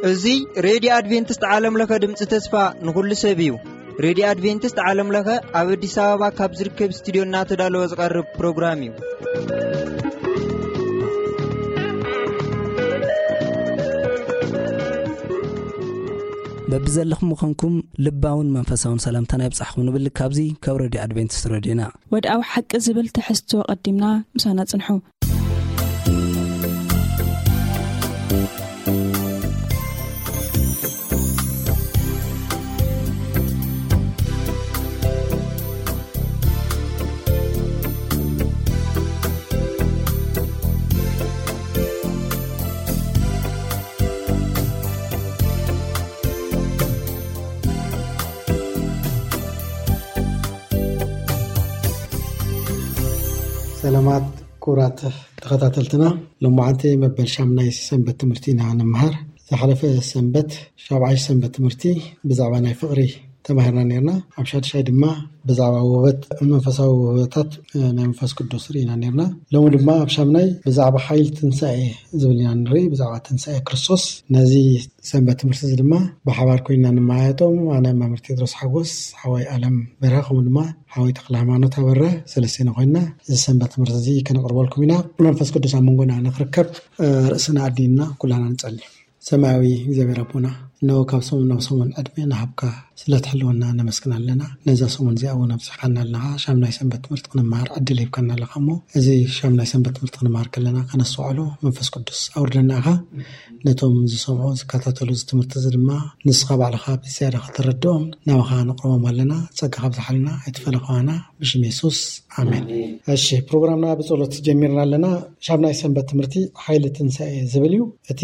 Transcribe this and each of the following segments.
እዚ ሬድዮ ኣድቬንቲስት ዓለም ለኸ ድምፂ ተስፋ ንኹሉ ሰብ እዩ። ሬድዮ ኣድቬንቲስት ዓለም ለኸ ኣብ ኣዲስ ኣበባ ካብ ዝርከብ ስቱዲዮ እናተዳለወ ዝቐርብ ፕሮግራም እዩ። በብዘለኹም ምዃንኩም ልባውን መንፈሳውን ሰላምታና ይብጻሕኩም ንብል። ካብዚ ካብ ሬድዮ ኣድቬንቲስት ሬድዮና። ወድኣዊ ሓቂ ዝብል ትሕዝቶ ቀዲምና ምሳና ጽንሑ። ሰላማት ክቡራት ተኸታተልትና፣ ሎማዓንቲ መበል ሻምናይ ሰንበት ትምህርቲ ኢና ንምሃር። ዝሓለፈ ሰንበት ሻብዓይ ሰንበት ትምህርቲ ብዛዕባ ናይ ፍቕሪ ተማሂርና ነርና። ኣብ ሻድሻይ ድማ ብዛዕባ ውህበት፣ መንፈሳዊ ውህበታት፣ እ፣ ናይ መንፈስ ቅዱስ ርኢና ነርና። ሎሚ ድማ ኣብ ሻምናይ ብዛዕባ ሓይሊ ትንሳኤ ዝብል ኢና ንርኢ፣ ብዛዕባ ትንሳኤ ክርስቶስ። ነዚ ሰንበት ትምህርቲ እዚ ድማ ብሓባር ኮይና ንመያየጦም፣ ኣነ መምህር ቴድሮስ ሓጎስ፣ ሓወይ ኣለም በርሀ፣ ከምኡ ድማ ሓወይ ተክለ ሃይማኖት ኣበራ፣ ሰለስቴና ኮይና እዚ ሰንበት ትምህርቲ እዚ ከነቕርበልኩም ኢና። መንፈስ ቅዱስ ኣብ መንጎና ንክርከብ፣ እ፣ ርእስና ኣዲንና ኩላና ንጸሊ። ሰማያዊ እግዚኣብሔር ኣቦና፣ እነሆ ካብ ሰሙን ናብ ሰሙን ዕድመ እናሃብካ ስለ ትሕልወና ነመስግን ኣለና። ነዛ ሰሙን እዚኣ እውን ኣብዚሓና ኣለኻ። ሻምናይ ሰንበት ትምህርቲ ክንመሃር ዕድል ሂብካና ኣለኻ እሞ፣ እዚ ሻምናይ ሰንበት ትምህርቲ ክንመሃር ከለና ከነስተውዕሎ መንፈስ ቅዱስ ኣውርደና ኢኻ። ነቶም ዝሰምዑ ዝከታተሉ እዚ ትምህርቲ እዚ ድማ ንስኻ ባዕልኻ ብዝያዳ ከተረድኦም ናባኻ ነቕርቦም ኣለና። ጸጋኻ ኣብዝሓልና ኣይትፈለኻና። ብሽም የሱስ ኣሜን። ኣሜን። እሺ፣ ፕሮግራምና ብጸሎት ጀሚርና ኣለና። ሻምናይ ሰንበት ትምህርቲ ሓይሊ ትንሳኤ ዝብል እዩ። እቲ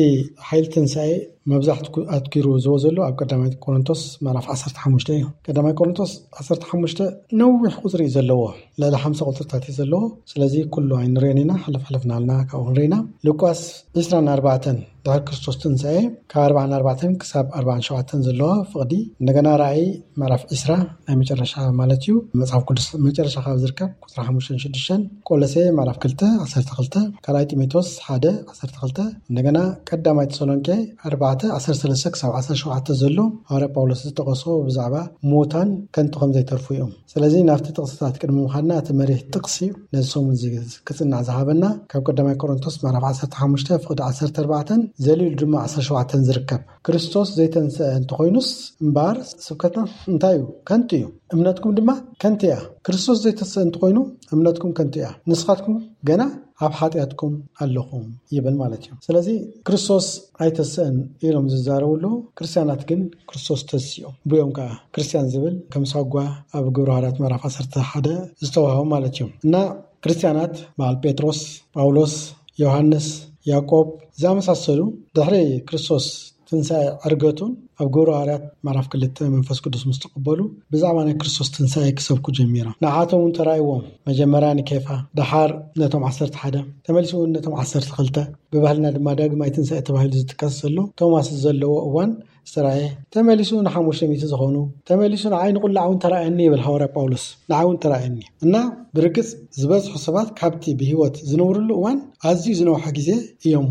ሓይሊ ትንሳኤ መብዛሕትኡ ኣትኪሩ ዝወ ዘሎ ኣብ ቀዳማይ ቆሮንቶስ ምዕራፍ ዓሰርተ ሓሙሽተ እዩ። ቀዳማይ ቆሮንቶስ ዓሰርተ ሓሙሽተ ነዊሕ ቁጽሪ እዩ ዘለዎ፣ ልዕሊ ሓምሳ ቁጽርታት እዩ ዘለዎ። ስለዚ ኩሉ ኣይንርእዮን ኢና፣ ሕልፍ ሕልፍ እናበልና ካብኡ ክንርኢ ኢና። ሉቃስ ዕስራን ኣርባዕተን ድሕሪ ክርስቶስ ትንሳኤ፣ ካብ ኣርባዓን ኣርባዕተን ክሳብ ኣርባዓን ሸውዓተን ዘለዋ ፍቕዲ፣ እንደገና ራእይ ምዕራፍ ዕስራ ናይ መጨረሻ ማለት እዩ። መጽሓፍ ቅዱስ መጨረሻ ካብ ዝርከብ ቁጽሪ ሓሙሽተን ሽዱሽተን፣ ቆሎሴ ምዕራፍ ክልተ ዓሰርተ ክልተ፣ ካልኣይ ጢሞቴዎስ ሓደ ዓሰርተ ክልተ፣ እንደገና ቀዳማይ ተሰሎንቄ ኣርባዕተ ዓሰርተ ሰለስተ ክሳብ ዓሰርተ ሸውዓተ ዘሎ ሃዋርያ ጳውሎስ ዝጠቐሶ ብዛዕባ ሙታን ከንቱ ከም ዘይተርፉ እዮም። ስለዚ ናብቲ ጥቕስታት ቅድሚ ምዃንና እቲ መሪሕ ጥቕሲ ነዚ ሰሙን እዚ ክጽናዕ ዝሃበና ካብ ቀዳማይ ቆሮንቶስ ምዕራፍ ዓሰርተ ሓሙሽተ ፍቕዲ ዓሰርተ ኣርባዕተን ዘሊሉ ድማ ዓሰርተ ሸውዓተን ዝርከብ። ክርስቶስ ዘይተንስአ እንተኾይኑስ እምበኣር ስብከትና እንታይ እዩ? ከንቱ እዩ። እምነትኩም ድማ ከንቱ እያ። ክርስቶስ ዘይተንስአ እንተኾይኑ እምነትኩም ከንቱ እያ። ንስኻትኩም ገና ኣብ ሓጢኣትኩም ኣለኹም ይብል ማለት እዩ። ስለዚ ክርስቶስ ኣይተንስአን ኢሎም ዝዛረቡ ኣለዉ። ክርስትያናት ግን ክርስቶስ ተንሲኦም። ብዮም ከዓ ክርስትያን ዝብል ከም ሳጓ ኣብ ግብረ ሃዋርያት ምዕራፍ ዓሰርተ ሓደ ዝተዋህቦ ማለት እዩ። እና ክርስትያናት በዓል ጴጥሮስ፣ ጳውሎስ፣ ዮሃንስ፣ ያዕቆብ ዝኣመሳሰሉ ድሕሪ ክርስቶስ ትንሳኤ ዕርገቱን ኣብ ግብረ ሃዋርያት ምዕራፍ ክልተ መንፈስ ቅዱስ ምስ ተቐበሉ ብዛዕባ ናይ ክርስቶስ ትንሳኤ ክሰብኩ ጀሚሮም። ንዓቶም እውን ተራእይዎም። መጀመርያ ንኬፋ፣ ደሓር ነቶም ዓሰርተ ሓደ፣ ተመሊሱ እውን ነቶም ዓሰርተ ክልተ። ብባህልና ድማ ዳግማይ ትንሳኤ ተባሂሉ ዝጥቀስ ዘሎ ቶማስ ዘለዎ እዋን ዝተራእየ፣ ተመሊሱ ንሓሙሽተ ሚእቲ ዝኾኑ፣ ተመሊሱ ንዓይ ንቁላዕ እውን ተራእየኒ ይብል ሃዋርያ ጳውሎስ። ንዓይ እውን ተራእየኒ። እና ብርግጽ ዝበዝሑ ሰባት ካብቲ ብህይወት ዝነብርሉ እዋን ኣዝዩ ዝነውሐ ግዜ እዮም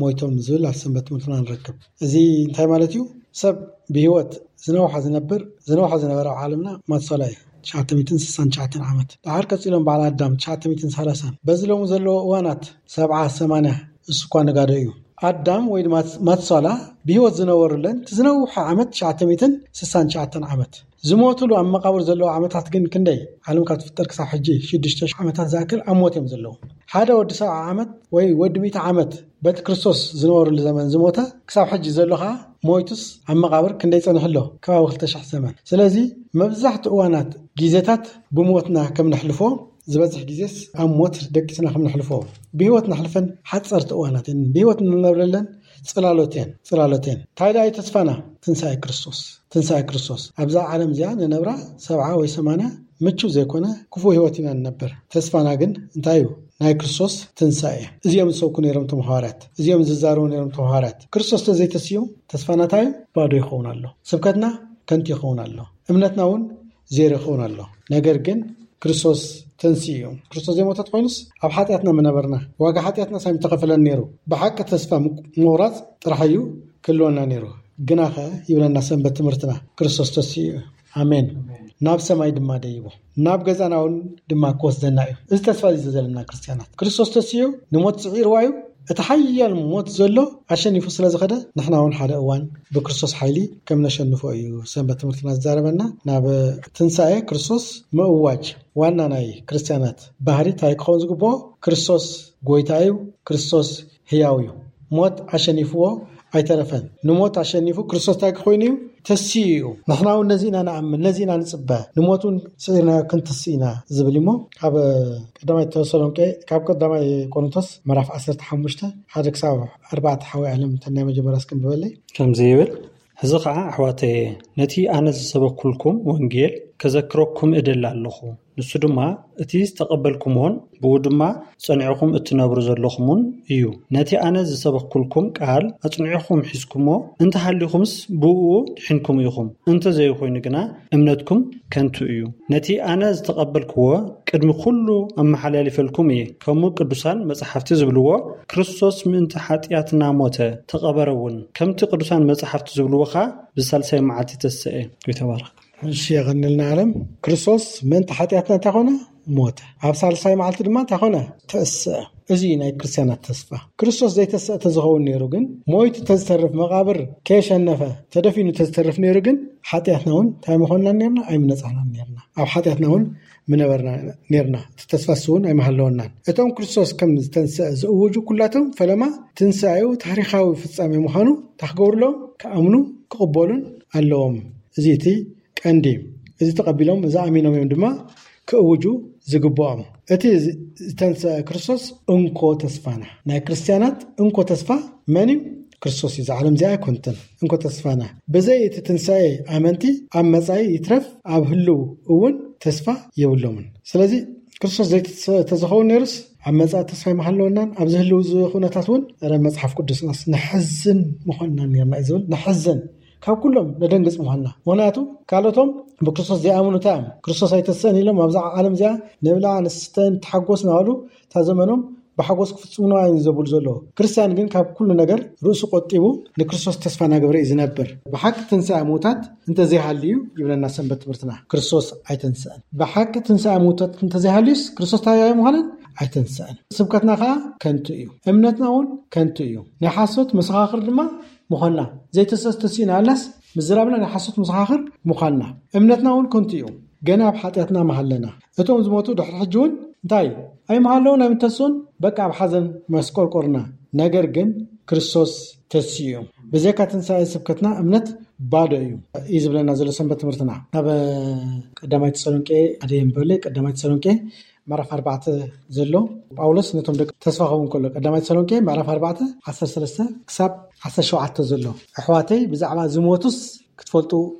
ሞይቶም ዝብል ኣብ ሰንበት ትምህርትና ንረክብ። እዚ እንታይ ማለት እዩ? ሰብ ብህይወት ዝነውሐ ዝነብር፣ ዝነውሐ ዝነበረ ኣብ ዓለምና ማትሶላ እዩ። ትሽዓተ ሚእትን ስሳን ትሽዓተን ዓመት። ደሓር ቀጺሎም በዓል ኣዳም ትሽዓተ ሚእትን ሰላሳን። በዚ ሎሚ ዘለዎ እዋናት ሰብዓ፣ ሰማንያ፣ እሱ እኳ ነጋዶ እዩ። ኣዳም ወይ ድማ ማትሶላ ብህይወት ዝነበሩለን እቲ ዝነውሐ ዓመት ትሽዓተ ሚእትን ስሳን ትሽዓተን ዓመት። ዝሞትሉ ኣብ መቓብር ዘለዉ ዓመታት ግን ክንደይ? ዓለም ካብ ትፍጠር ክሳብ ሕጂ ሽዱሽተ ሽሕ ዓመታት ዝኣክል ኣብ ሞት እዮም ዘለዉ። ሓደ ወዲ ሰብዓ ዓመት ወይ ወዲ ሚእቲ ዓመት በቲ ክርስቶስ ዝነበረሉ ዘመን ዝሞተ፣ ክሳብ ሕጂ ዘሎ ኸዓ ሞይቱስ ኣብ መቓብር ክንደይ ጸኒሑ ኣሎ? ከባቢ ክልተ ሽሕ ዘመን። ስለዚ መብዛሕትኡ እዋናት ግዜታት ብሞትና ከም ነሕልፎ፣ ዝበዝሕ ግዜስ ኣብ ሞት ደቂስና ከም ነሕልፎ፣ ብህይወት ነሕልፈን ሓጸርቲ እዋናት እየን። ብህይወት እንነብረለን ጽላሎት እየን፣ ጽላሎት እየን። እንታይ ደኣ እዩ ተስፋና? ትንሳኤ ክርስቶስ። ትንሳኤ ክርስቶስ። ኣብዛ ዓለም እዚኣ ንነብራ ሰብዓ ወይ ሰማንያ ምቹእ ዘይኮነ ክፉእ ህይወት ኢና ንነብር። ተስፋና ግን እንታይ እዩ? ናይ ክርስቶስ ትንሳኤ። እዚኦም ዝሰብኩ ነይሮም እቶም ሃዋርያት። እዚኦም ዝዛረቡ ነይሮም እቶም ሃዋርያት። ክርስቶስ ተዘይተስኡ ተስፋና እንታይ እዩ? ባዶ ይኸውን ኣሎ። ስብከትና ከንቱ ይኸውን ኣሎ። እምነትና እውን ዜሮ ይኸውን ኣሎ። ነገር ግን ክርስቶስ ተንስኡ እዩ። ክርስቶስ ዘይሞተ ተኮይኑስ ኣብ ሓጢኣትና ምነበርና፣ ዋጋ ሓጢኣትና ሳሚ ተኸፈለን ነይሩ። ብሓቂ ተስፋ ምቁ- ምቑራፅ ጥራሕ እዩ ክህልወና ነይሩ። ግናኸ ይብለና ሰንበት ትምህርትና፣ ክርስቶስ ተስኡ እዩ። ኣሜን። ናብ ሰማይ ድማ ደይቡ ናብ ገዛና እውን ድማ ክወስደና እዩ። እዚ ተስፋ እዚ ዘለና ክርስትያናት፣ ክርስቶስ ተስኡ ንሞት ስዒርዋ እዩ። እቲ ሓያል ሞት ዘሎ ኣሸኒፉ ስለ ዝኸደ፣ ንሕና እውን ሓደ እዋን ብክርስቶስ ሓይሊ ከም ነሸንፎ እዩ ሰንበት ትምህርትና ዝዛረበና። ናብ ትንሳኤ ክርስቶስ ምእዋጅ ዋና ናይ ክርስትያናት ባህሪ እንታይ ክኸውን ዝግብኦ? ክርስቶስ ጎይታ እዩ። ክርስቶስ ህያው እዩ። ሞት ኣሸኒፍዎ ኣይተረፈን። ንሞት ኣሸኒፉ ክርስቶስ እንታይ ክኮይኑ እዩ? ተስኡ እዩ። ንሕና እውን ነዚ ኢና ንኣምን፣ ነዚ ኢና ንፅበ። ንሞት እውን ስዒርናዮ ክንትስእ ኢና ዝብል እሞ፣ ካብ ቀዳማይ ተሰሎንቄ፣ ካብ ቀዳማይ ቆሮንቶስ ምዕራፍ ዓሰርተ ሓሙሽተ ሓደ ክሳብ ኣርባዕተ ሓወይ ዓለም፣ እተን ናይ መጀመርያ እስኪ ንበለይ። ከምዚ ይብል፣ ሕዚ ኸዓ ኣሕዋተየ፣ ነቲ ኣነ ዝሰበኩልኩም ወንጌል ከዘክረኩም እደሊ ኣለኹ። ንሱ ድማ እቲ ዝተቐበልኩምዎን ብኡ ድማ ጸኒዕኹም እትነብሩ ዘለኹምን እዩ። ነቲ ኣነ ዝሰበኩልኩም ቃል ኣጽኒዕኹም ሒዝኩሞ እንተሃሊኹምስ ብኡ ድሒንኩም ኢኹም። እንተ ዘይኮይኑ ግና እምነትኩም ከንቱ እዩ። ነቲ ኣነ ዝተቐበልክዎ ቅድሚ ኩሉ ኣመሓላሊፈልኩም እየ። ከምኡ ቅዱሳን መጻሕፍቲ ዝብልዎ፣ ክርስቶስ ምእንቲ ሓጢኣትና ሞተ፣ ተቐበረ እውን። ከምቲ ቅዱሳን መጻሕፍቲ ዝብልዎ ኸኣ ብሳልሳይ መዓልቲ ተሰኤ። ይተባረኽ። እሺ፣ የቐንልና ዓለም። ክርስቶስ ምእንቲ ሓጢኣትና እንታይ ኮነ? ሞተ። ኣብ ሳልሳይ መዓልቲ ድማ እንታይ ኮነ? ተሰአ። እዚ እዩ ናይ ክርስትያናት ተስፋ። ክርስቶስ ዘይተሰአ ተዝኸውን ነይሩ ግን፣ ሞይቱ ተዝተርፍ፣ መቓብር ከየሸነፈ፣ ተደፊኑ ተዝተርፍ ነይሩ ግን፣ ሓጢኣትና እውን እንታይ ምኾንናን ነርና? ኣይምነጻሕናን ነርና። ኣብ ሓጢኣትና እውን ምነበርና ነርና። እቲ ተስፋ እሱ እውን ኣይምሃለወናን። እቶም ክርስቶስ ከም ዝተንሰአ ዝእውጁ ኩላቶም ፈለማ ትንሳኤኡ ታሪኻዊ ፍጻሜ ምዃኑ እንታይ ክገብሩሎም? ክኣምኑ ክቕበሉን ኣለዎም። እዚ እቲ ቀንዲ። እዚ ተቐቢሎም፣ እዚ ኣሚኖም እዮም ድማ ክእውጁ ዝግብኦም። እቲ ዝ-፣ ዝተንሰአ ክርስቶስ እንኮ ተስፋና። ናይ ክርስትያናት እንኮ ተስፋ መን እዩ? ክርስቶስ እዩ። እዛ ዓለም እዚኣ ኣይኮንትን እንኮ ተስፋና። ብዘይ እቲ ትንሳኤ ኣመንቲ ኣብ መጻኢ ይትረፍ ኣብ ህልው እውን ተስፋ የብሎምን። ስለዚ ክርስቶስ ዘይተሰ-፣ ተዝኸውን ነይሩስ ኣብ መጻኢ ተስፋ ኣይምሃለወናን፣ ኣብዚ ህልው እዚ ኩነታት እውን፣ ኧረ መጽሓፍ ቅዱስናስ ንሕዝን ምኾንና ነርና እዩ ዝብል። ንሕዝን፣ ካብ ኩሎም ነደንግጽ ምዃንና። ምኽንያቱ ካልኦቶም ብክርስቶስ ዘይኣምኑ እንታይ እዮም? ክርስቶስ ኣይተስእን ኢሎም ኣብዛ ዓለም እዚኣ ንብላዕ ንስተ ንተሓጎስ እናበሉ እታ ዘመኖም ብሓጎስ ክፍጽሙ እዮም ዘብሉ ዘለዉ። ክርስትያን ግን ካብ ኩሉ ነገር ርእሱ ቆጢቡ ንክርስቶስ ተስፋ እናገበረ እዩ ዝነብር። ብሓቂ ትንሳኤ ምውታት እንተዘይሃልዩ ይብለና ሰንበት ትምህርትና፣ ክርስቶስ ኣይተንስአን። ብሓቂ ትንሳኤ ምውታት እንተዘይሃልዩስ ክርስቶስ እንታይ ኣይምዃነን? ኣይተንስአን። ስብከትና ከዓ ከንቱ እዩ። እምነትና እውን ከንቱ እዩ። ናይ ሓሶት መሰኻኽር ድማ ምዃንና። ዘይተሰስ ተሲእና ኣላስ ምዝራብና ናይ ሓሶት መሰኻኽር ምዃንና። እምነትና እውን ከንቱ እዩ። ገና ኣብ ሓጢኣትና ምሃለና። እቶም ዝሞቱ ድሕሪ ሕጂ እውን እንታይ? ኣይምሃለውን ኣይምተስኡን፣ በቃ ኣብ ሓዘን መስቆርቆርና። ነገር ግን ክርስቶስ ተስኡ እዩ። ብዘይካ ትንሳኤ ስብከትና እምነት ባዶ እዩ፣ እዩ ዝብለና ዘሎ ሰንበት ትምህርትና። ናብ ቀዳማይ ተሰሎንቄ ሓደ የንበለ፣ ቀዳማይ ተሰሎንቄ ምዕራፍ ኣርባዕተ ዘሎ ጳውሎስ ነቶም ደቂ ተስፋ ክኸውን ከሎ፣ ቀዳማይ ተሰሎንቄ ምዕራፍ ኣርባዕተ ዓሰርተ ሰለስተ ክሳብ ዓሰርተ ሸውዓተ ዘሎ፣ ኣሕዋተይ ብዛዕባ ዝሞቱስ ክትፈልጡ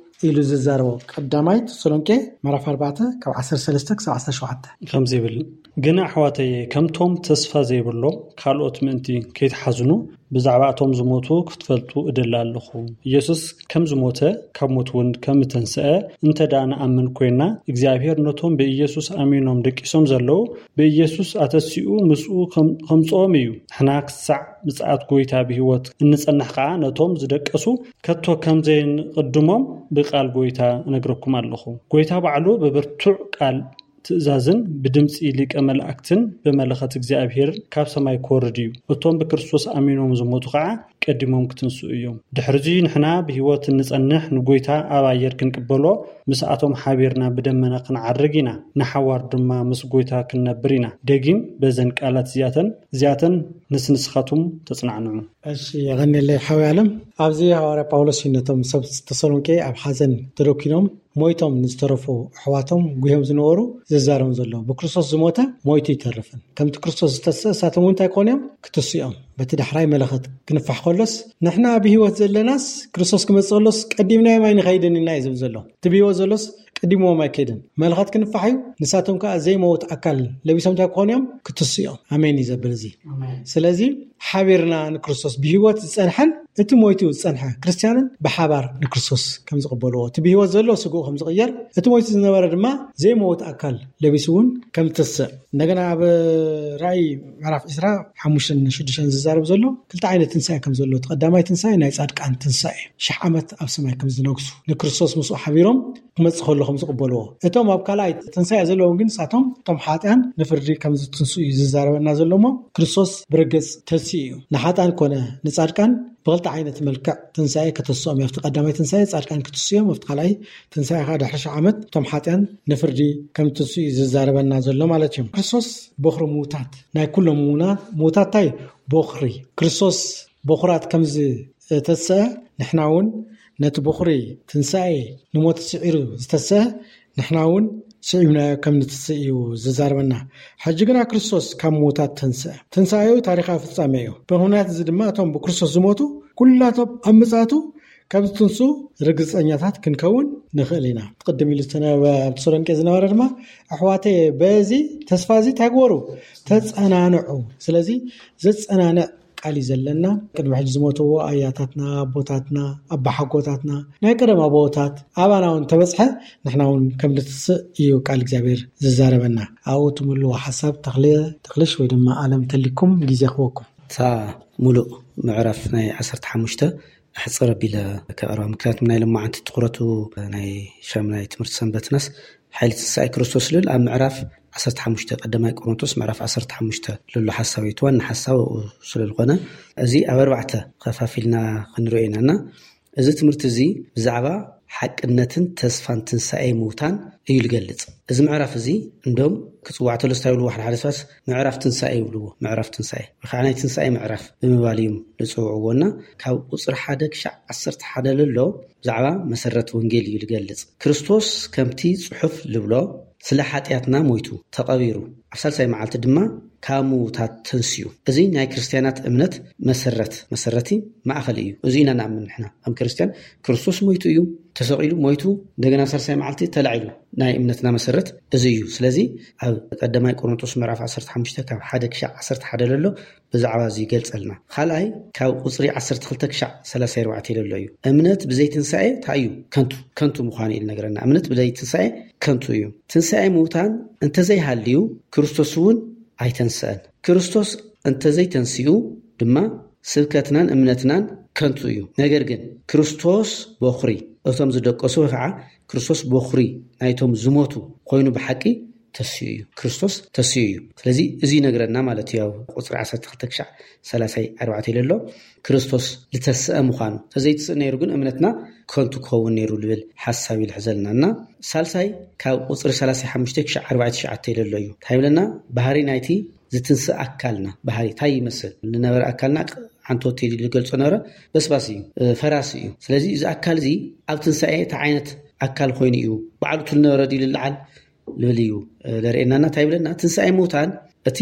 ኢሉ ዝዛረቦ። ቀዳማይ ተሰሎንቄ ምዕራፍ ኣርባዕተ ካብ ዓሰርተ ሰለስተ ክሳብ ዓሰርተ ሸውዓተ። ከምዚ ይብል፣ ግን ኣሕዋተየ፣ ከምቶም ተስፋ ዘይብሎም ካልኦት ምእንቲ ከይትሓዝኑ፣ ብዛዕባ እቶም ዝሞቱ ክትፈልጡ እደሊ ኣለኹ። ኢየሱስ ከም ዝሞተ፣ ካብ ሞት እውን ከም እተንስአ እንተ ደኣ ንኣምን ኮይንና፣ እግዚኣብሔር ነቶም ብኢየሱስ ኣሚኖም ደቂሶም ዘለዉ ብኢየሱስ ኣተሲኡ ምስኡ ከም-፣ ከምጽኦም እዩ። ንሕና ክሳዕ ምጽኣት ጐይታ ብህይወት እንጸንሕ ከኣ፣ ነቶም ዝደቀሱ ከቶ ከም ዘይንቕድሞም ብቃል ጐይታ እነግረኩም ኣለኹ። ጐይታ ባዕሉ ብብርቱዕ ቃል ትእዛዝን ብድምጺ ሊቀ መላእክትን ብመለኸት እግዚኣብሔር ካብ ሰማይ ክወርድ እዩ። እቶም ብክርስቶስ ኣሚኖም ዝሞቱ ኸዓ ቀዲሞም ክትንስኡ እዮም። ድሕርዚ ንሕና ብህይወት እንጸንሕ ንጐይታ ኣብ ኣየር ክንቅበሎ ምስኣቶም ሓቢርና ብደመና ክንዓርግ ኢና። ንሓዋር ድማ ምስ ጐይታ ክንነብር ኢና። ደጊም በዘን ቃላት እዚኣተን፣ እዚኣተን ንስ ንስኻትኩም ተጽናዕንዑ። እሺ፣ የቐንየለይ ሓወይ ኣለም። ኣብዚ ሃዋርያ ጳውሎስ እዩ ነቶም ሰብ ተሰሎንቄ ኣብ ሓዘን ተደኪኖም ሞይቶም ንዝተረፉ ኣሕዋቶም ጉህዮም ዝነበሩ ዝዛረቦም ዘሎ። ብክርስቶስ ዝሞተ ሞይቱ ይተርፍን። ከምቲ ክርስቶስ ዝተስእ፣ እሳቶም እውን እንታይ ክኾኑ እዮም? ክትስኡ እዮም። በቲ ዳሕራይ መለኸት ክንፋሕ ከሎስ፣ ንሕና ብህይወት ዘለናስ ክርስቶስ ክመጽእ ከሎስ ቀዲምናዮም ኣይንኸይድን ኢና እዩ ዝብል ዘሎ። እቲ ብህይወት ዘሎስ ቀዲምዎም ኣይከይድን። መለኸት ክንፋሕ እዩ። ንሳቶም ከኣ ዘይመውት ኣካል ለቢሶም እንታይ ክኾኑ እዮም? ክትስኡ እዮም። ኣሜን እዩ ዘብል እዚ። ኣሜን። ስለዚ ሓቢርና ንክርስቶስ ብህይወት ዝጸንሐን እቲ ሞይቱ ዝጸንሐ ክርስትያንን ብሓባር ንክርስቶስ ከም ዝቕበልዎ፣ እቲ ብህይወት ዘሎ ስግኡ ከም ዝቕየር፣ እቲ ሞይቱ ዝነበረ ድማ ዘይመውት ኣካል ለቢሱ እውን ከም ዝትስእ። እንደገና ኣብ ራእይ ምዕራፍ ዕስራ ሓሙሽተን ሽዱሽተን ዝዛረብ ዘሎ ክልተ ዓይነት ትንሳኤ ከም ዘሎ፣ እቲ ቀዳማይ ትንሳኤ ናይ ጻድቃን ትንሳኤ፣ ሽሕ ዓመት ኣብ ሰማይ ከም ዝነግሱ፣ ንክርስቶስ ምስኡ ሓቢሮም ክመጽእ ከሎ ከም ዝቕበልዎ፣ እቶም ኣብ ካልኣይ ትንሳኤ ዘለዉ ግን ንሳቶም እቶም ሓጢኣን ንፍርዲ ከም ዝትንስኡ እዩ ዝዛረበና ዘሎ እሞ፣ ክርስቶስ ብርግጽ ተንሲኡ እዩ። ንሓጣን ኮነ ንጻድቃን ብኽልተ ዓይነት መልክዕ ትንሳኤ ከተስኦም እዩ። ኣብቲ ቀዳማይ ትንሳኤ ጻድቃን ክትስኡ እዮም፣ ኣብቲ ካልኣይ ትንሳኤ ከዓ ድሕሪ ሽሕ ዓመት እቶም ሓጢኣን ንፍርዲ ከም ትንስኡ እዩ ዝዛረበና ዘሎ ማለት እዩ። ክርስቶስ በኹሪ ምዉታት፣ ናይ ኩሎም ምዉና-፣ ምዉታት እንታይ? በኹሪ። ክርስቶስ በኹራት ከም ዝተስአ፣ ንሕና እውን ነቲ በኹሪ ትንሳኤ፣ ንሞት ስዒሩ ዝተስአ፣ ንሕና እውን ስዒብናዮ ከም ንትስእ እዩ ዝዛረበና። ሕጂ ግና ክርስቶስ ካብ ምዉታት ተንስአ። ትንሳኤኡ ታሪኻዊ ፍጻሜ እዩ። ብምኽንያት እዚ ድማ እቶም ብክርስቶስ ዝሞቱ ኩላቶም ኣብ ምጽኣቱ ከም ዝትንሱ ርግጸኛታት ክንከውን ንኽእል ኢና። ቅድም ኢሉ ዝተነበ ኣብ ተሰሎንቄ ዝነበረ ድማ፣ ኣሕዋተየ፣ በዚ ተስፋ እዚ እንታይ ግበሩ? ተጸናንዑ። ስለዚ ዘጸናንዕ ቃል እዩ ዘለና። ቅድሚ ሕጂ ዝሞትዎ ኣያታትና፣ ኣቦታትና፣ ኣባሓጎታትና፣ ናይ ቀደም ኣቦታት ኣባና እውን ተበጽሐ፣ ንሕና እውን ከም ንትስእ እዩ ቃል እግዚኣብሔር ዝዛረበና። ኣብኡ ትምልዎ ሓሳብ ተኽለ-፣ ተኽልሽ ወይ ድማ ኣለም ተሊኩም ግዜ ክወኩም። እታ ሙሉእ ምዕራፍ ናይ ዓሰርተ ሓሙሽተ ኣሕጽር ኣቢለ ከቕርባ፣ ምክንያቱም ናይ ሎማዓንቲ ትኹረቱ ናይ ሻምናይ ትምህርቲ ሰንበትናስ ሓይሊ ትንሳኤ ክርስቶስ ዝብል ኣብ ምዕራፍ ዓሰርተ ሓሙሽተ፣ ቀዳማይ ቆሮንቶስ ምዕራፍ ዓሰርተ ሓሙሽተ ዘሎ ሓሳብ እዩ። እቲ ዋና ሓሳብ ኣብኡ ስለ ዝኾነ፣ እዚ ኣብ ኣርባዕተ ከፋፊልና ክንሪኦ ኢና እና፣ እዚ ትምህርቲ እዚ ብዛዕባ ሓቅነትን ተስፋን ትንሳኤ ምውታን እዩ ዝገልጽ። እዚ ምዕራፍ እዚ እንዶም ክጽዋዕ ተሎ እንታይ ይብልዎ? ሓደ ሓደ ሰባት ምዕራፍ ትንሳኤ ይብልዎ። ምዕራፍ ትንሳኤ ወይ ከዓ ናይ ትንሳኤ ምዕራፍ ብምባል እዮም ዝጽውዕዎ እና፣ ካብ ቁጽሪ ሓደ ክሻዕ ዓሰርተ ሓደ ለሎ ብዛዕባ መሰረት ወንጌል እዩ ዝገልጽ። ክርስቶስ ከምቲ ጽሑፍ ዝብሎ ስለ ሓጢኣትና ሞይቱ፣ ተቐቢሩ፣ ኣብ ሳልሳይ መዓልቲ ድማ ካብ ምዉታት ተንስኡ። እዚ ናይ ክርስትያናት እምነት መሰረት፣ መሰረቲ ማእኸል እዩ። እዚ ኢና ንኣምን ንሕና ከም ክርስትያን። ክርስቶስ ሞይቱ እዩ፣ ተሰቒሉ፣ ሞይቱ፣ እንደገና ሳልሳይ መዓልቲ ተላዒሉ። ናይ እምነትና መሰረት እዚ እዩ። ስለዚ ኣብ ቀዳማይ ቆሮንቶስ ምዕራፍ ዓሰርተ ሓሙሽተ ካብ ሓደ ክሻዕ ዓሰርተ ሓደ ዘሎ ብዛዕባ እዚ ይገልጸልና። ካልኣይ ካብ ቁጽሪ ዓሰርተ ክልተ ክሻዕ ሰላሳ ኣርባዕተ ዘሎ እዩ። እምነት ብዘይ ትንሳኤ እንታይ እዩ? ከንቱ፣ ከንቱ ምዃኑ እዩ ዝነግረና። እምነት ብዘይ ትንሳኤ ከንቱ እዩ። ትንሳኤ ምውታን እንተዘይሃልዩ ክርስቶስ እውን ኣይተንስአን። ክርስቶስ እንተዘይተንሲኡ ድማ ስብከትናን እምነትናን ከንቱ እዩ። ነገር ግን ክርስቶስ በኹሪ እቶም ዝደቀሱ ወይ ከዓ ክርስቶስ በኹሪ ናይቶም ዝሞቱ ኮይኑ ብሓቂ ተስኡ እዩ። ክርስቶስ ተስኡ እዩ። ስለዚ እዚ ይነግረና ማለት እዩ። ኣብ ቁጽሪ ዓሰርተ ክልተ ክሻዕ ሰላሳ ኣርባዕተ ኢለ ኣሎ። ክርስቶስ ዝተስአ ምዃኑ፣ ተዘይትስእ ነይሩ ግን እምነትና ከንቱ ክኸውን ነይሩ ዝብል ሓሳብ እዩ ዝሕዘልና። እና ሳልሳይ ካብ ቁጽሪ ሰላሳ ሓሙሽተ ክሻዕ ኣርባዕተ ትሽዓተ ኢለ ኣሎ እዩ። እንታይ ይብለና? ባህሪ ናይቲ ዝትንስእ ኣካልና፣ ባህሪ እንታይ ይመስል? ዝነበረ ኣካልና ዓንቶት ኢሉ ዝገልጾ ነበረ። በስባስ እዩ፣ እ፣ ፈራሲ እዩ። ስለዚ እዚ ኣካል እዚ ኣብ ትንሳኤ እንታይ ዓይነት ኣካል ኮይኑ እዩ? ባዕሉ እቲ ዝነበረ ድዩ ዝለዓል? ዝብል እዩ፣ እ፣ ዘርእየናና። እንታይ ይብለና? ትንሳኤ ምውታን እቲ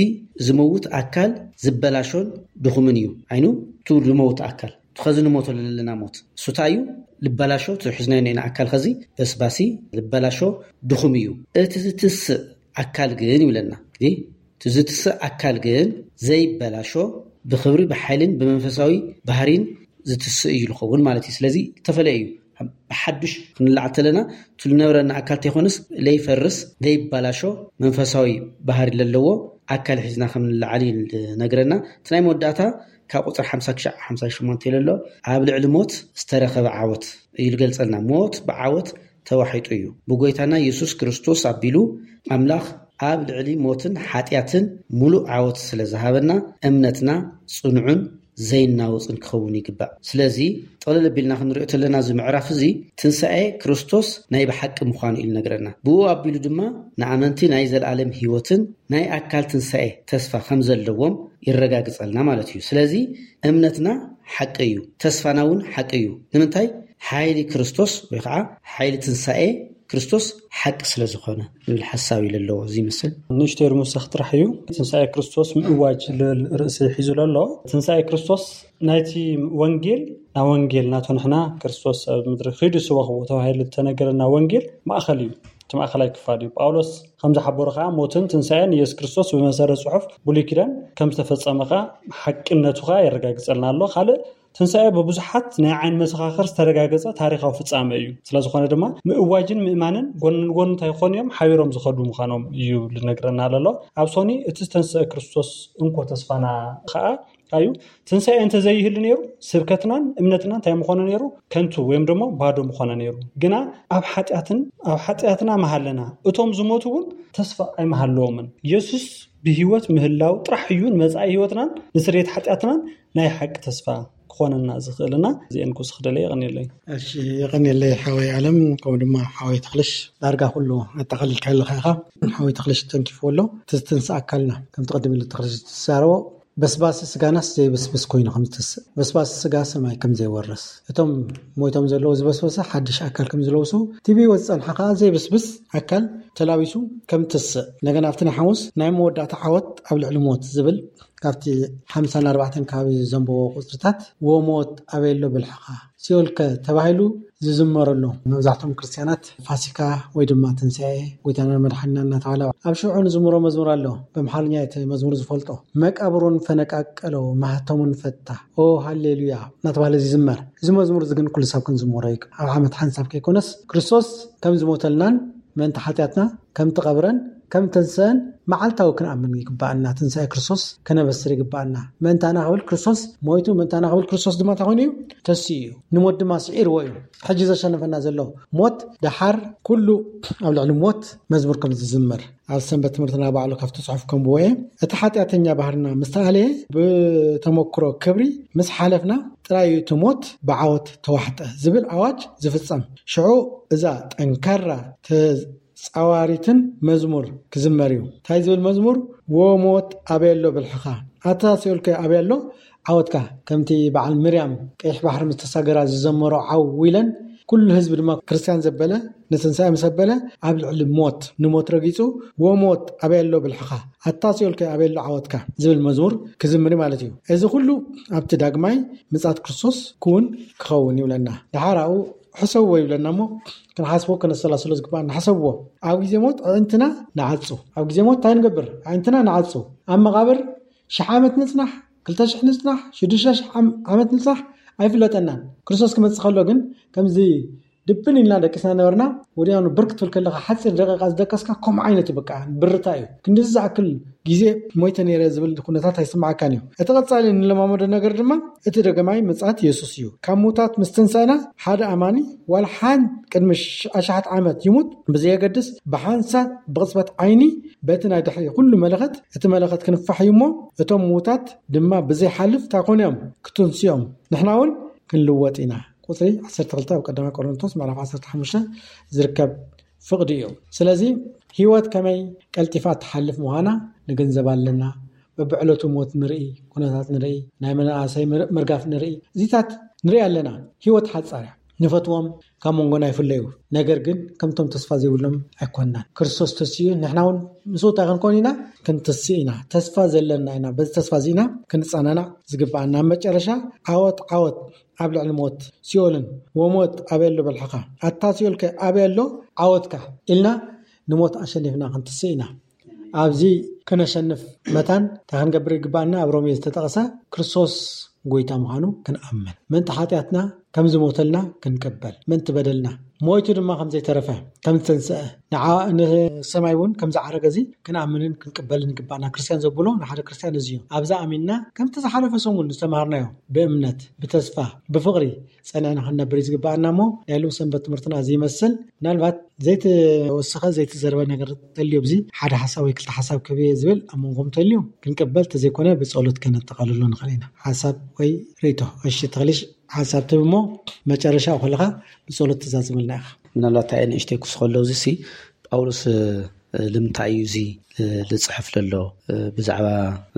ዝመውት ኣካል ዝበላሾን ድኹምን እዩ። ዓይኑ እቲ ዝመውት ኣካል፣ እቲ ኸዚ ንሞቶ ዘለና ሞት፣ እሱ እንታይ እዩ? ዝበላሾ፣ እቲ ሒዝናዮ እኒኤና ኣካል ኸዚ በስባሲ ዝበላሾ ድኹም እዩ። እቲ ዝትስእ ኣካል ግን ይብለና። እንግዲህ እቲ ዝትስእ ኣካል ግን ዘይበላሾ፣ ብኽብሪ፣ ብሓይልን ብመንፈሳዊ ባህሪን ዝትስእ እዩ ዝኸውን ማለት እዩ። ስለዚ ዝተፈለየ እዩ። ብሓዱሽ ክንላዓል ተለና፣ እቲ ዝነበረና ኣካል ተይኮነስ፣ ለይፈርስ፣ ለይበላሾ፣ መንፈሳዊ ባህሪ ለለዎ ኣካል ሒዝና ከም ንላዓል እዩ ዝነግረና። እቲ ናይ መወዳእታ ካብ ቁጽሪ ሓምሳ ክሻዕ ሓምሳ ሸሞንተ ኢለ ኣሎ፣ ኣብ ልዕሊ ሞት ዝተረኸበ ዓወት እዩ ዝገልጸልና። ሞት ብዓወት ተዋሒጡ እዩ። ብጎይታና የሱስ ክርስቶስ ኣቢሉ ኣምላኽ ኣብ ልዕሊ ሞትን ሓጢኣትን ሙሉእ ዓወት ስለ ዝሃበና፣ እምነትና ጽኑዕን ዘይናወጽን ክኸውን ይግባእ። ስለዚ፣ ጠቕለል ኣቢልና ክንሪኦ ተለና፣ እዚ ምዕራፍ እዚ ትንሳኤ ክርስቶስ ናይ ብሓቂ ምዃኑ እዩ ዝነግረና። ብኡ ኣቢሉ ድማ ንኣመንቲ ናይ ዘለኣለም ህይወትን ናይ ኣካል ትንሳኤ ተስፋ ከም ዘለዎም የረጋግጸልና ማለት እዩ። ስለዚ፣ እምነትና ሓቂ እዩ፣ ተስፋና እውን ሓቂ እዩ። ንምንታይ? ሓይሊ ክርስቶስ ወይ ከዓ ሓይሊ ትንሳኤ ክርስቶስ ሓቂ ስለ ዝኾነ ዝብል ሓሳብ እዩ ዘለዎ። እዚ ይመስል። ንእሽተይ ርምውሳኽ ጥራሕ እዩ። ትንሳኤ ክርስቶስ ምእዋጅ ዝብል ርእሲ ሒዙ ዘሎ። ትንሳኤ ክርስቶስ ናይቲ ወንጌል፣ ናብ ወንጌል ናቱ ንሕና ክርስቶስ ኣብ ምድሪ ኺዱ ስበኽዎ ተባሂሉ ዝተነገረና ወንጌል ማእኸል እዩ። እቲ ማእኸላይ ክፋል እዩ። ጳውሎስ ከም ዝሓበሮ ከዓ ሞትን ትንሳኤን ኢየሱስ ክርስቶስ ብመሰረት ጽሑፍ ብሉይ ኪዳን ከም ዝተፈጸመ ከዓ ሓቅነቱ ከዓ የረጋግጸልና ኣሎ። ካልእ ትንሳኤ ብብዙሓት ናይ ዓይን መሰኻኽር ዝተረጋገጸ ታሪኻዊ ፍጻመ እዩ። ስለ ዝኾነ ድማ ምእዋጅን ምእማንን ጎን ንጎን እንታይ ክኾኑ እዮም? ሓቢሮም ዝኸዱ ምዃኖም እዩ ልነግረና ዘሎ። ኣብ ሶኒ እቲ ዝተንስአ ክርስቶስ እንኮ ተስፋና ኸዓ እዩ። ትንሳኤ እንተዘይህሉ ነይሩ ስብከትናን እምነትናን እንታይ ምኾነ ነይሩ? ከንቱ ወይም ደሞ ባዶ ምኾነ ነይሩ። ግና ኣብ ሓጢኣትን ኣብ ሓጢኣትና መሃለና እቶም ዝሞቱ እውን ተስፋ ኣይመሃለዎምን። የሱስ ብህይወት ምህላው ጥራሕ እዩ ንመጻኢ ህይወትናን ንስርየት ሓጢኣትናን ናይ ሓቂ ተስፋ ክኾነና ዝኽእልና። እዚአን ክውስኽ ደለ። የቐንየለይ። እሺ፣ የቐንየለይ ሓወይ ኣለም፣ ከምኡ ድማ ሓወይ ተኽልሽ። ዳርጋ ኩሉ ኣጠቓሊልካ ኣለኻ ኢኻ። ሓወይ ተኽልሽ ተንኪፍዎ ኣሎ። እቲ ዝትንስእ ኣካልና ከምቲ ቅድም ኢሉ ተኽልሽ ዝዛረቦ በስባሲ ስጋናስ ዘይብስብስ ኮይኑ ከም ዝትስእ፣ በስባሲ ስጋ ሰማይ ከም ዘይወርስ፣ እቶም ሞይቶም ዘለዉ ዝበስበሰ ሓድሽ ኣካል ከም ዝለብሱ፣ እቲ ብህይወት ዝጸንሐ ከኣ ዘይብስብስ ኣካል ተላቢሱ ከም ትስእ፣ እንደገና ኣብቲ ናይ ሓሙስ ናይ መወዳእታ ዓወት ኣብ ልዕሊ ሞት ዝብል ካብቲ ሓምሳን ኣርባዕተን ከባቢ ዘንበቦ ቁጽርታት፣ "ወሞት ኣበይ ኣሎ ብልሕኻ? ሲኦልከ?" ተባሂሉ ዝዝመረሉ፣ መብዛሕትኦም ክርስትያናት ፋሲካ ወይ ድማ ትንሳኤ ጎይታና መድሓኒና እናተባህለ ኣብ ሽዑ ንዝምሮ መዝሙር ኣሎ። በምሓርኛ እቲ መዝሙር ዝፈልጦ፣ "መቃብሩን ፈነቃቀለው፣ ማህተሙን ፈታ፣ ኦ ሃሌሉያ" እናተባህለ ዝዝመር። እዚ መዝሙር እዚ ግን ኩሉ ሰብ ክንዝምሮ ይግባእ። ኣብ ዓመት ሓንሳብ ከይኮነስ ክርስቶስ ከም ዝሞተልናን ምእንቲ ሓጢኣትና ከም ትቐብረን ከም ተንስአን መዓልታዊ ክንኣምን ይግባኣና። ትንሳኤ ክርስቶስ ከነበስር ይግባኣና። ምእንታና ክብል ክርስቶስ ሞይቱ፣ ምእንታና ክብል ክርስቶስ ድማ እንታይ ኮይኑ እዩ? ተሲኡ እዩ። ንሞት ድማ ስዒርዎ እዩ። ሕጂ ዘሸነፈና ዘሎ ሞት፣ ደሓር ኩሉ ኣብ ልዕሊ ሞት መዝሙር ከም ዝዝመር ኣብ ሰንበት ትምህርትና ባዕሉ ካብቲ ጽሑፍ ከንብቦ እየ። እቲ ሓጢኣተኛ ባህርና ምስ ተኣለየ፣ ብተመክሮ ክብሪ ምስ ሓለፍና ጥራይ እዩ እቲ ሞት ብዓወት ተዋሕጠ ዝብል ኣዋጅ ዝፍጸም። ሽዑ እዛ ጠንካራ ተጻዋሪትን መዝሙር ክዝመር እዩ። እንታይ ዝብል መዝሙር? "ወሞት ኣበይ ኣሎ ብልሕኻ? ኣታ ሲኦልከ ኣበይ ኣሎ ዓወትካ?" ከምቲ በዓል ምርያም ቀይሕ ባሕሪ ምስ ተሳገራ ዝዘመሮ ዓው ኢለን፣ ኩሉ ህዝቢ ድማ ክርስትያን ዘበለ፣ ንትንሳኤ ምስ ኣበለ፣ ኣብ ልዕሊ ሞት፣ ንሞት ረጊጹ፣ "ወሞት ኣበይ ኣሎ ብልሕኻ? ኣታ ሲኦልከ ኣበይ ኣሎ ዓወትካ?" ዝብል መዝሙር ክዝምር ማለት እዩ። እዚ ኩሉ ኣብቲ ዳግማይ ምጽኣት ክርስቶስ ክውን ክኸውን ይብለና። ደሓር ኣብኡ ሕሰብዎ ይብለና እሞ፣ ክንሓስቦ ከነሰላስሎ ዝግባእ ንሓሰብዎ። ኣብ ግዜ ሞት ኣዕንትና ንዓጹ። ኣብ ግዜ ሞት እንታይ ንገብር? ኣዕንትና ንዓጹ። ኣብ መቓብር ሽሕ ዓመት ንጽናሕ፣ ክልተ ሽሕ ንጽናሕ፣ ሽዱሽተ ሽሕ ዓም-፣ ዓመት ንጽናሕ ኣይፍለጠናን። ክርስቶስ ክመጽእ ከሎ ግን ከምዚ ድብን ኢልና ደቂስና ነበርና። ወዲያኑ ብርክ ትብል ከለኻ ሓጺር ደቂቃ ዝደቀስካ ከምኡ ዓይነት እዩ። በቃ ብርታ እዩ። ክንድዚ ዝኣክል ግዜ ሞይተ ነይረ ዝብል ኩነታት ኣይስምዓካን እዩ። እቲ ቀጻሊ እንለማመዶ ነገር ድማ እቲ ደገማይ ምጽኣት የሱስ እዩ። ካብ ምውታት ምስ ተንሳእና ሓደ ኣማኒ ዋላ ሓንቲ ቅድሚ ሽ-፣ ኣሽሓት ዓመት ይሙት ብዘየገድስ ብሓንሳብ ብቕጽበት ዓይኒ በቲ ናይ ድሕሪ ኩሉ መለኸት እቲ መለኸት ክንፋሕ እዩ እሞ እቶም ምውታት ድማ ብዘይሓልፍ እንታይ ኮኑ እዮም? ክትንስዮም። ንሕና እውን ክንልወጥ ኢና። ቁጽሪ ዓሰርተ ክልተ ኣብ ቀዳማይ ቆሮንቶስ ምዕራፍ ዓሰርተ ሓሙሽተ ዝርከብ ፍቕዲ እዩ። ስለዚ ህይወት ከመይ ቀልጢፋ ትሓልፍ ምዃና ንግንዘብ ኣለና። በብዕለቱ ሞት ንርኢ፣ ኩነታት ንርኢ፣ ናይ መናእሰይ ምር-፣ ምርጋፍ ንርኢ፣ እዚታት ንርኢ ኣለና። ህይወት ሓጻር እያ። ንፈትዎም ካብ መንጎና ይፍለዩ። ነገር ግን ከምቶም ተስፋ ዘይብሎም ኣይኮንናን። ክርስቶስ ተስኡ፣ ንሕና እውን ምስኡ እንታይ ክንኮን ኢና? ክንትስእ ኢና። ተስፋ ዘለና ኢና። በዚ ተስፋ እዚ ኢና ክንጸናናዕ ዝግብኣና። ኣብ መጨረሻ ዓወት፣ ዓወት ኣብ ልዕሊ ሞት፣ ሲኦልን፣ "ወሞት ኣበይ ኣሎ ብልሕኻ? ኣታ ሲኦልከ ኣበይ ኣሎ ዓወትካ?" ኢልና ንሞት ኣሸኒፍና ክንትስእ ኢና። ኣብዚ ክነሸንፍ መታን እንታይ ክንገብር ይግባኣና? ኣብ ሮሜ ዝተጠቕሰ ክርስቶስ ጎይታ ምዃኑ ክንኣምን፣ ምእንቲ ሓጢኣትና ከም ዝሞተልና ክንቅበል፣ ምእንቲ በደልና ሞይቱ ድማ ከም ዘይተረፈ፣ ከም ዝተንስአ፣ ንዓ-፣ ንሰማይ እውን ከም ዝዓረገ እዚ ክንኣምንን ክንቅበልን ይግባኣና። ክርስትያን ዘብሎ ንሓደ ክርስትያን እዚ እዩ። ኣብዛ ኣሚንና ከምቲ ዝሓለፈ ሰሙን ዝተማሃርናዮ ብእምነት፣ ብተስፋ፣ ብፍቕሪ ጸኒዕና ክንነብር እዩ ዝግባኣና። እሞ ናይ ሎም ሰንበት ትምህርትና እዚ ይመስል። ምናልባት ዘይተወሰኸ ዘይተዘረበ ነገር ተልዮ፣ ኣብዚ ሓደ ሓሳብ ወይ ክልተ ሓሳብ ክህብ እየ ዝብል ኣብ መንጎም ተልዩ ክንቅበል፣ ተዘይኮነ ብጸሎት ከነጠቓልሎ ንኽእል ኢና። ሓሳብ ወይ ርእይቶ። እሺ፣ ተኽሊሽ ሓሳብ ትህብ እሞ መጨረሻ ከለኻ ብጸሎት ትዛዝመልና ኢኻ። ምናልባት ኣየ ንእሽተይ ክውስኸሉ፣ እዚ ሲ ጳውሎስ፣ እ፣ ልምንታይ እዩ እዚ፣ እ፣ ልጽሕፍ ለሎ? እ፣ ብዛዕባ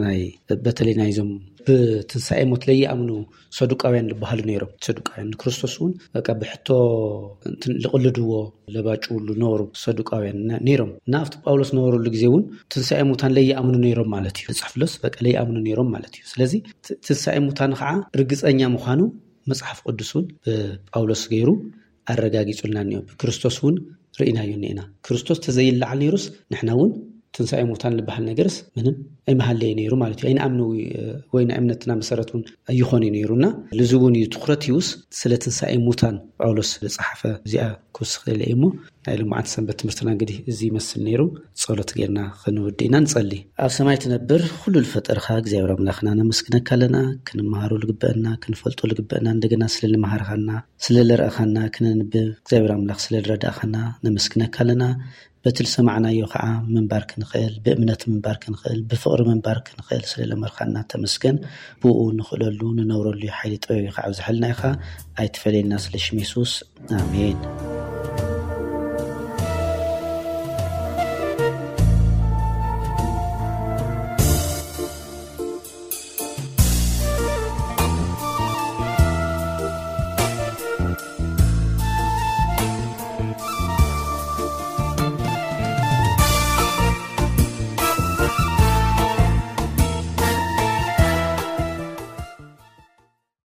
ናይ፣ በተለይ ናይዞም ብትንሳኤ ሞት ለይኣምኑ ሰዱቃውያን ዝበሃሉ ነይሮም። ሰዱቃውያን ንክርስቶስ እውን በቃ ብሕቶ እንትን ልቕልድዎ፣ ለባጭውሉ ነበሩ ሰዱቃውያን ነ-፣ ነይሮም። እና ኣብቲ ጳውሎስ ነበረሉ ግዜ እውን ትንሳኤ ሙታን ለይኣምኑ ነይሮም ማለት እዩ። ዝጽሕፍ ለስ በቃ ለይኣምኑ ነይሮም ማለት እዩ። ስለዚ ት-፣ ትንሳኤ ሙታን ከዓ ርግጸኛ ምዃኑ መጽሓፍ ቅዱስ እውን ብጳውሎስ ገይሩ ኣረጋጊጹልና እኒኦ። ብክርስቶስ እውን ርኢናዮ እኒኤና። ክርስቶስ ተዘይለዓል ነይሩስ ንሕና እውን ትንሳኤ ሙታን ዝበሃል ነገርስ ምንም ኣይመሃለየ ነይሩ ማለት እዩ። ኣይንኣምነዊ ወይ ናይ እምነትና መሰረት እውን ኣይኾነ ነይሩና። ልዚ እውን እዩ ትኩረት ይውስ ስለ ትንሳኤ ሙታን ጳውሎስ ዝጸሓፈ። እዚኣ ክውስኽ ኢለ እየ እሞ ናይ ልምዓት ሰንበት ትምህርትና እንግዲህ እዚ ይመስል ነይሩ። ጸሎት ጌርና ክንውድእ ኢና፣ ንጸሊ። ኣብ ሰማይ ትነብር ኩሉ ዝፈጠርካ እግዚኣብሔር ኣምላኽና ነመስግነካ ኣለና። ክንመሃሮ ልግበአና ክንፈልጦ ልግበአና እንደገና ስለ ልመሃርካና ስለ ልረእኻና ክነንብብ እግዚኣብሔር ኣምላኽ ስለ ልረዳእኻና ነመስግነካ ኣለና። በቲ ዝሰማዕናዮ ከዓ ምንባር ክንኽእል፣ ብእምነት ምንባር ክንኽእል፣ ብፍቕሪ ምንባር ክንኽእል ስለ ለመርካና ተመስገን። ብኡ ንኽእለሉ ንነብረሉ ሓይሊ ጥበብ ኢኻ ኣብዝሐልና ኢኻ። ኣይትፈለየና ስለ ሽም የሱስ። ኣሜን።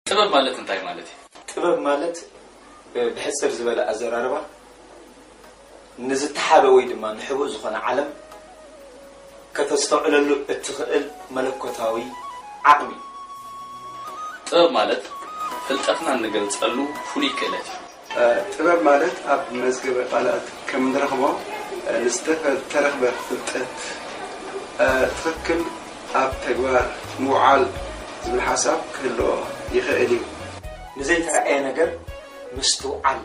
ጥበብ ማለት እንታይ ማለት እዩ? ጥበብ ማለት፣ እ፣ ብሕጽር ዝበለ ኣዘራርባ፣ ንዝተሓበ ወይ ድማ ንሕቡእ ዝኾነ ዓለም ከተስተውዕለሉ እትኽእል መለኮታዊ ዓቕሚ። ጥበብ ማለት ፍልጠትና እንገልጸሉ ፍሉይ ክእለት እዩ። እ፣ ጥበብ ማለት ኣብ መዝገበ ቃላት ከም እንረኽቦ፣ እ፣ ንዝተፈ-፣ ተረኽበ ፍልጠት፣ እ፣ ትኽክል ኣብ ተግባር ምውዓል ዝብል ሓሳብ ክህልዎ ይኽእል እዩ። ንዘይተራእየ ነገር ምስትውዓል፣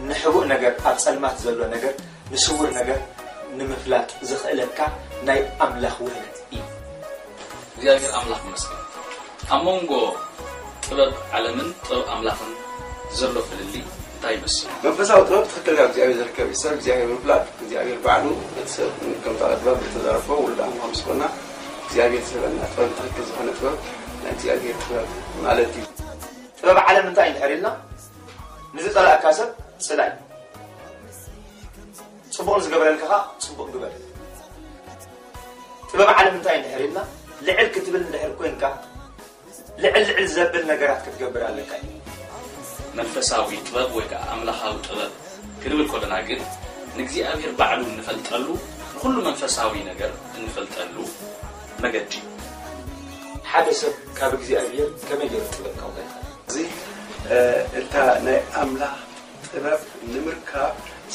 ንሕቡእ ነገር፣ ኣብ ጸልማት ዘሎ ነገር፣ ንስውር ነገር ንምፍላጥ ዘኽእለካ ናይ ኣምላኽ ውህለት እዩ። እግዚኣብሔር ኣምላኽ ይመስገን። ኣብ መንጎ ጥበብ ዓለምን ጥበብ ኣምላኽን ዘሎ ፍልልይ እንታይ ይመስል? መንፈሳዊ ጥበብ ትኽክል ካብ እግዚኣብሔር ዝርከብ እዩ። ሰብ እግዚኣብሔር ምፍላጥ፣ እግዚኣብሔር ባዕሉ እቲ ሰብ ከም ጥበብ ዝተዘረፎ ውሉድ ኣምላኽ ምስ ኮና እግዚኣብሔር ዝህበና ጥበብ ትኽክል ዝኾነ ጥበብ ናይ እግዚኣብሔር ጥበብ ማለት እዩ። ጥበብ ዓለም እንታይ እንድሕር ኢልና፣ ንዝጸላእካ ሰብ ጽላእ፣ ጽቡቕ ንዝገበረልካ ኸኣ ጽቡቕ ግበር። ጥበብ ዓለም እንታይ እንድሕር ኢልና፣ ልዕል ክትብል እንድሕር ኮንካ፣ ልዕል ልዕል ዘብል ነገራት ክትገብር ኣለካ እዩ። መንፈሳዊ ጥበብ ወይ ከዓ ኣምላኻዊ ጥበብ ክንብል ከለና ግን፣ ንእግዚኣብሔር ባዕሉ እንፈልጠሉ፣ ንኹሉ መንፈሳዊ ነገር እንፈልጠሉ መገዲ እዩ። ሓደ ሰብ ካብ እግዚኣብሔር ከመይ ገይሩ ጥበብ ከውሕድ ይኽእል? እዚ፣ እ፣ እታ ናይ ኣምላኽ ጥበብ ንምርካብ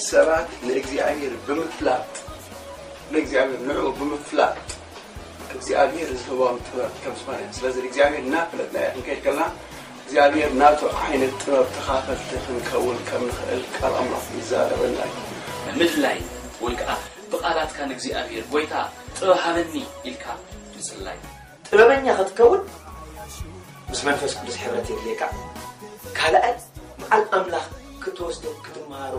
ሰባት ንእግዚኣብሔር ብምፍላጥ፣ ንእግዚኣብሔር ንዕኡ ብምፍላጥ እግዚኣብሔር ዝህቦም ጥበብ ከም ዝኾነ፣ ስለዚ እግዚኣብሔር እናፈለጥናዮ ክንከይድ ከለና እግዚኣብሔር ናቱ ዓይነት ጥበብ ተኻፈልቲ ክንከውን ከም ንኽእል ቃል ኣምላኽ ይዛረበና እዩ። ንምድላይ ወይ ከዓ ብቓላትካ ንእግዚኣብሔር፣ "ጎይታ ጥበብ ሃበኒ" ኢልካ ምጽላይ። ጥበበኛ ክትከውን ምስ መንፈስ ቅዱስ ሕብረት የድልየካ። ካልኣይ፣ በዓል ኣምላኽ ክትወስዶ፣ ክትመሃሮ፣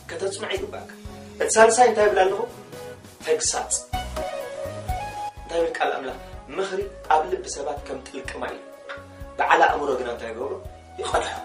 ከተጽንዖ ይግባእካ። እቲ ሳልሳይ እንታይ ይብል ኣለኹ? ተግሳጽ። እንታይ ይብል ቃል ኣምላኽ? "ምኽሪ ኣብ ልቢ ሰባት ከም ጥልቂ ማይ እዩ፣ በዓል ኣእምሮ ግና እንታይ ይገብሮ? ይቐድሖ።"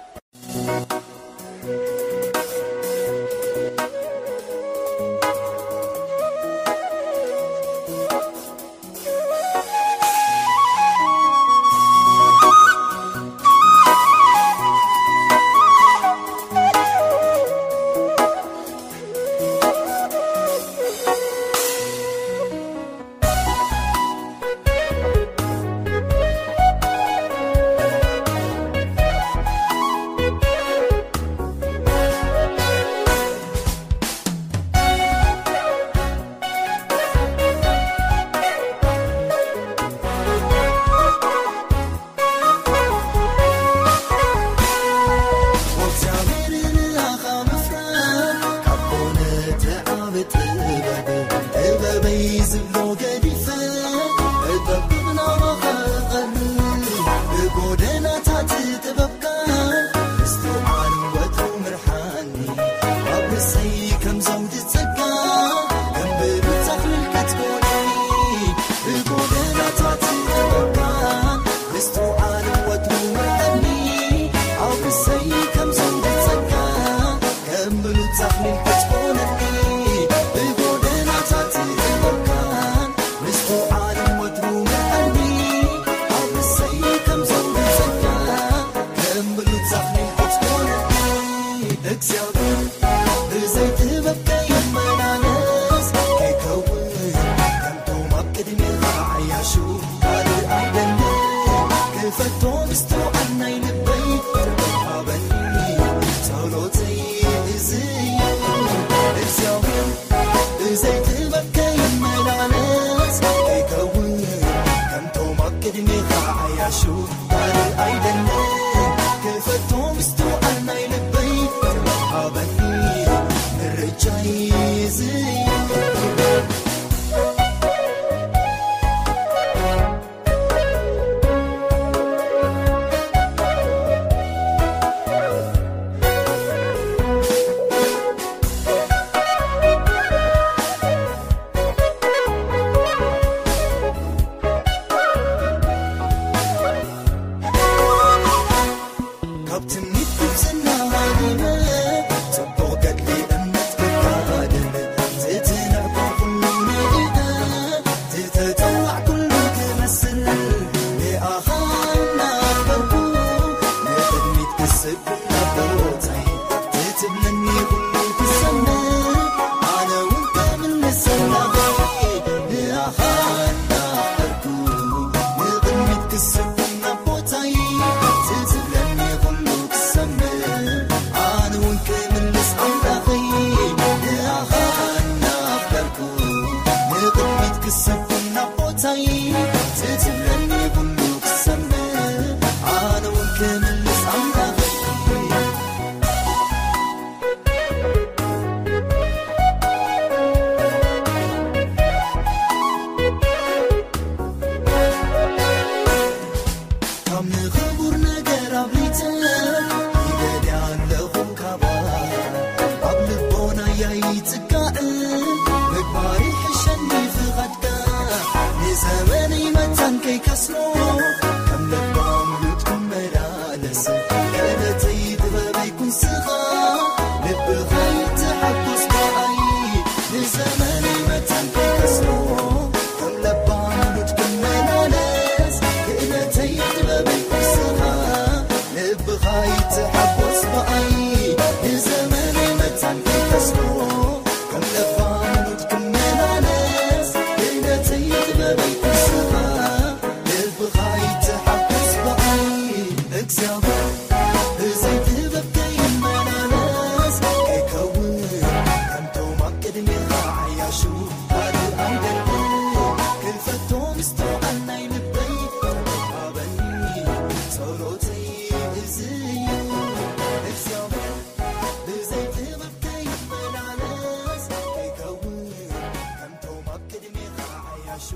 ሰብኩና ቦታይ ትትብለኒ ኩሉ ክሰምዕ ኣነ እውን ክምልስ ኣምላኸይ። ካብ ንኽቡር ነገር ኣብሊተ ይደልያ ኣለኹ ካባ ኣብ ልቦናያ ይጽጋዕ ምግባር ይሕሸኒ ፍቓድካ ንዘመነይ መታን ከይከስሮ ከም ለባም ሉት ክመላለስ ክእለተይ ጥበበይ ኩንስኻ ልብኻ ይተሓጎስ ብኣይ ንዘመነይ መታን ከይከስሮ ከም ለባም ሉት ክመላለስ ክእለተይ ጥበበይ ኩንስኻ ልብኻ ይተሓጎስ ብኣይ ንዘመነይ መታን ከይከስሮ ከም ለባም ሉት ክመላለስ ክእለተይ ጥበበይ ኩንስኻ ልብኻ ይተሓጎስ ብኣይ እግዚኣብሔር ብዘይ ጥበብ ከይመላለስ ከይከውን ከምቶም ኣብ ቅድሜኻ ዓያሹ ካልእ ኣይደልን ክፈቶ ምስትውዓል ናይ ልበይ ሃበኒ ጸሎተይ እዚ እዩ እግዚኣብሔር ብዘይ ጥበብ ከይመላለስ ከይከውን ከምቶም ኣብ ቅድሜኻ ዓያሹ